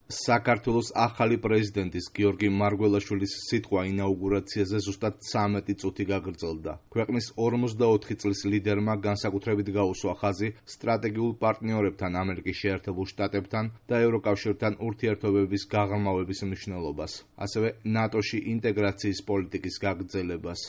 საქართველოს ახალი პრეზიდენტის გიორგი მარგველაშვილის სიტყვა ინაუგურაციაზე ზუსტად 13 წუთი გაგრძელდა. ქვეყნის 44 წლის ლიდერმა განსაკუთრებით გაუსვა ხაზი სტრატეგიულ პარტნიორებთან, ამერიკის შეერთებულ შტატებთან და ევროკავშირთან ურთიერთობების გაღრმავების მნიშვნელობას, ასევე ნატოში ინტეგრაციის პოლიტიკის გაგრძელებას.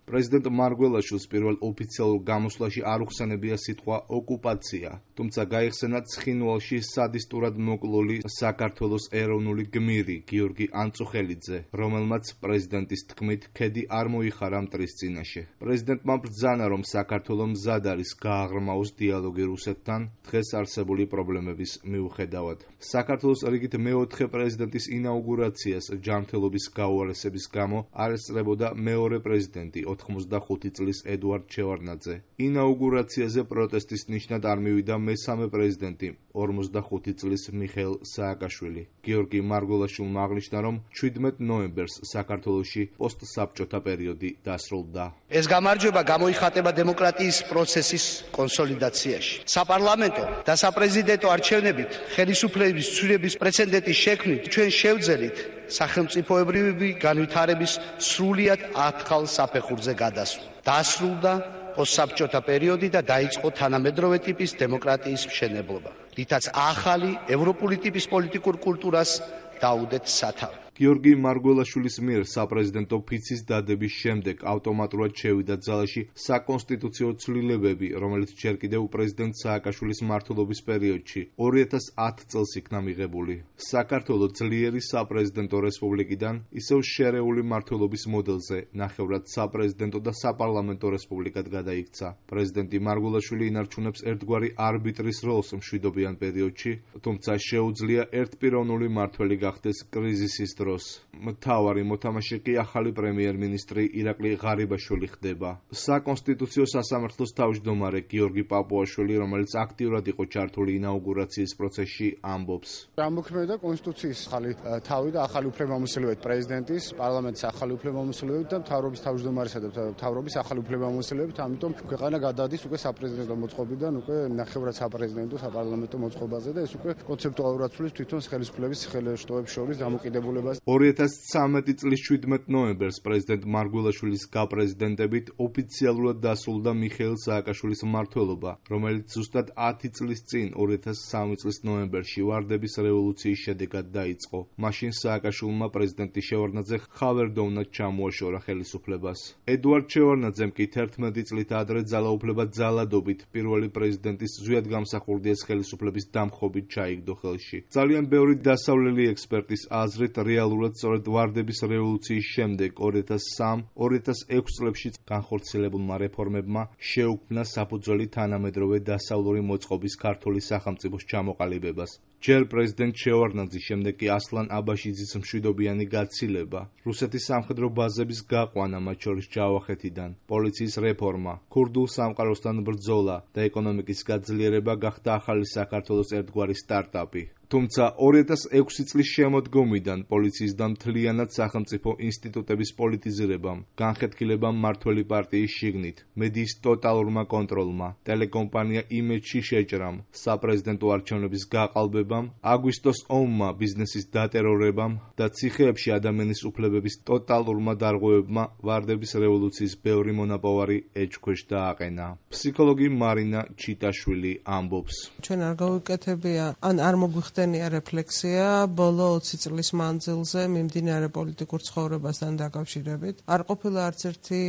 პრეზიდენტ მარგველაშვილს პირველ ოფიციალურ გამოსვლაში არ უხსენებია სიტყვა ოკუპაცია, თუმცა გაიხსენა ცხინვალში სადისტურად მოკლული საქართველოს ეროვნული გმირი გიორგი ანწუხელიძე, რომელმაც პრეზიდენტის თქმით ქედი არ მოიხარა მტრის წინაშე. პრეზიდენტმა ბრძანა, რომ საქართველო მზად არის გააღრმაოს დიალოგი რუსეთთან დღეს არსებული პრობლემების მიუხედავად. საქართველოს რიგით მეოთხე პრეზიდენტის ინაუგურაციას ჯანმრთელობის გაუარესების გამო არ ესწრებოდა მეორე პრეზიდენტი 85 წლის ედუარდ შევარდნაძე. ინაუგურაციაზე პროტესტის ნიშნად არ მივიდა მესამე პრეზიდენტი 45 წლის მიხეილ სააკაშვილი. გიორგი მარგველაშვილმა აღნიშნა, რომ 17 ნოემბერს საქართველოში პოსტსაბჭოთა პერიოდი დასრულდა. ეს გამარჯვება გამოიხატება დემოკრატიის პროცესის კონსოლიდაციაში. საპარლამენტო და საპრეზიდენტო არჩევნებით ხელისუფლების ცვლილების პრეცედენტის შექმნით ჩვენ შევძელით სახელმწიფოებრივი განვითარების სრულიად ახალ საფეხურზე გადასვლა. დასრულდა პოსტსაბჭოთა პერიოდი და დაიწყო თანამედროვე ტიპის დემოკრატიის მშენებლობა, რითაც ახალი ევროპული ტიპის პოლიტიკურ კულტურას დაუდეთ სათავე. გიორგი მარგველაშვილის მიერ საპრეზიდენტო ფიცის დადების შემდეგ ავტომატურად შევიდა ძალაში საკონსტიტუციო ცვლილებები, რომელიც ჯერ კიდევ პრეზიდენტ სააკაშვილის მმართველობის პერიოდში 2010 წელს იქნა მიღებული. საქართველო ძლიერი საპრეზიდენტო რესპუბლიკიდან ისევ შერეული მმართველობის მოდელზე ნახევრად საპრეზიდენტო და საპარლამენტო რესპუბლიკად გადაიქცა. პრეზიდენტი მარგველაშვილი ინარჩუნებს ერთგვარი არბიტრის როლს მშვიდობიან პერიოდში, თუმცა შეუძლია ერთპიროვნული მმართველი გახდეს კრიზისის დროს. მთავარი მოთამაშე კი ახალი პრემიერ-მინისტრი ირაკლი ღარიბაშვილი ხდება. საკონსტიტუციო სასამართლოს თავმჯდომარე გიორგი პაპუაშვილი, რომელიც აქტიურად იყო ჩართული ინაუგურაციის პროცესში, ამბობს. ამოქმედა კონსტიტუციის ახალი თავი და ახალი უფლებამოსილებებით პრეზიდენტის, პარლამენტის ახალი უფლებამოსილებებით და მთავრობის თავმჯდომარისა და მთავრობის ახალი უფლებამოსილებებით, ამიტომ ქვეყანა გადადის უკვე საპრეზიდენტო მოწყობიდან უკვე ნახევრად საპრეზიდენტო საპარლამენტო მოწყობაზე და ეს უკვე კონცეპტუალურად ცვლის თვითონ ხელისუფლების ხელშტოებს შორის დამოკიდებულებას. 2013 წლის 17 ნოემბერს პრეზიდენტ მარგველაშვილის გაპრეზიდენტებით ოფიციალურად დასრულდა მიხეილ სააკაშვილის მმართველობა, რომელიც ზუსტად 10 წლის წინ 2003 წლის ნოემბერში ვარდების რევოლუციის შედეგად დაიწყო. მაშინ სააკაშვილმა პრეზიდენტი შევარდნაძე ხავერდოვნად ჩამოაშორა ხელისუფლებას. ედუარდ შევარდნაძემ კი 11 წლით ადრე ძალაუფლება ძალადობით პირველი პრეზიდენტის ზვიად გამსახურდიას ხელისუფლების დამხობით ჩაიგდო ხელში. ძალიან ბევრი დასავლელი ექსპერტის აზრით რეალურად სწორედ ვარდების რევოლუციის შემდეგ 2003-2006 წლებში განხორციელებულმა რეფორმებმა შეუქმნა საფუძველი თანამედროვე დასავლური მოწყობის ქართული სახელმწიფოს ჩამოყალიბებას. ჯერ პრეზიდენტ შევარდნაძის, შემდეგ კი ასლან აბაშიძის მშვიდობიანი გაცილება, რუსეთის სამხედრო ბაზების გაყვანა, მათ შორის ჯავახეთიდან, პოლიციის რეფორმა, ქურდულ სამყაროსთან ბრძოლა და ეკონომიკის გაძლიერება გახდა ახალი საქართველოს ერთგვარი სტარტაპი. თუმცა 2006 წლის შემოდგომიდან პოლიციის და მთლიანად სახელმწიფო ინსტიტუტების პოლიტიზირებამ, განხეთქილებამ მმართველი პარტიის შიგნით, მედიის ტოტალურმა კონტროლმა, ტელეკომპანია იმეჯში შეჭრამ, საპრეზიდენტო არჩევნების გაყალბებამ, აგვისტოს ომმა, ბიზნესის დატერორებამ და ციხეებში ადამიანის უფლებების ტოტალურმა დარღვევებმა ვარდების რევოლუციის ბევრი მონაპოვარი ეჭქვეშ დააყენა. ფსიქოლოგი მარინა ჩიტაშვილი ამბობს. ჩვენ არ გავიკეთებია, არ მოგვიხდა რეფლექსია ბოლო 20 წლის მანძილზე მიმდინარე პოლიტიკურ ცხოვრებასთან დაკავშირებით. არ ყოფილა არც ერთი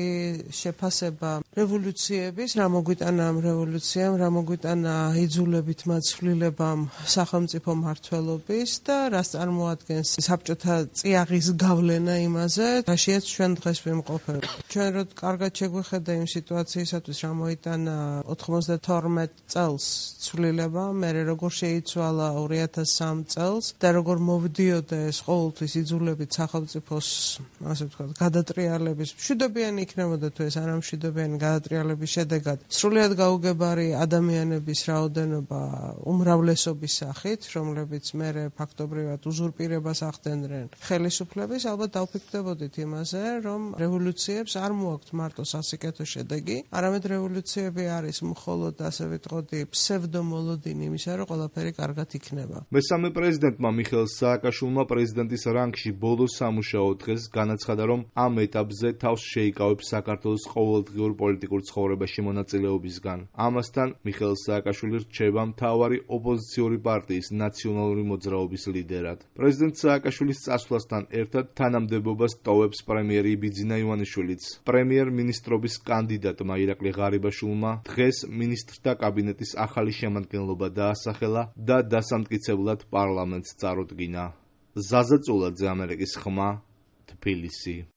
შეფასება რევოლუციების, რა მოგვიტანა ამ რევოლუციამ, რა მოგვიტანა იძულებით მაცვლილებამ სახელმწიფო მმართველობის და რას წარმოადგენს საბჭოთა წიაღის გავლენა იმაზე, რაშიაც ჩვენ დღეს ვიმყოფებით. ჩვენ რო კარგად შეგვიხედა იმ სიტუაციისათვის, რა მოიტანა 92 წელს ცვლილება, მერე როგორ შეიცვალა 2003 წელს და როგორ მოვდიოდა ეს ყოველთვის იძულებით სახელმწიფოს, ასე ვთქვათ, გადატრიალების, მშვიდობიანი იქნებოდა თუ ეს არამშვიდობიანი გადატრიალების შედეგად სრულიად გაუგებარი ადამიანების რაოდენობა უმრავლესობის სახით, რომლებიც მერე ფაქტობრივად უზურპირებას ახდენდნენ ხელისუფლების, ალბათ დავფიქრდებოდით იმაზე, რომ რევოლუციებს არ მოაქვთ მარტო სასიკეთო შედეგი, არამედ რევოლუციები არის მხოლოდ, ასე ვიტყოდი, ფსევდომოლოდინი იმისა, რომ ყველაფერი კარგად იქნება. მესამე პრეზიდენტმა მიხეილ სააკაშვილმა პრეზიდენტის რანგში ბოლო სამუშაო დღეს განაცხადა, რომ ამ ეტაპზე თავს შეიკავებს საქართველოს ყოველდღიურ პოლიტიკურ ცხოვრებაში მონაწილეობისგან. ამასთან მიხეილ სააკაშვილი რჩება მთავარი ოპოზიციური პარტიის ნაციონალური მოძრაობის ლიდერად. პრეზიდენტ სააკაშვილის წასვლასთან ერთად თანამდებობას ტოვებს პრემიერი იბიძინა ივანიშვილიც. პრემიერ-მინისტრობის კანდიდატმა ირაკლი ღარიბაშვილმა დღეს მინისტრთა კაბინეტის ახალი შემადგენლობა დაასახელა და დასამტკიცებლად პარლამენტს წარუდგინა. ზაზა წულაძე, ამერიკის ხმა, თბილისი.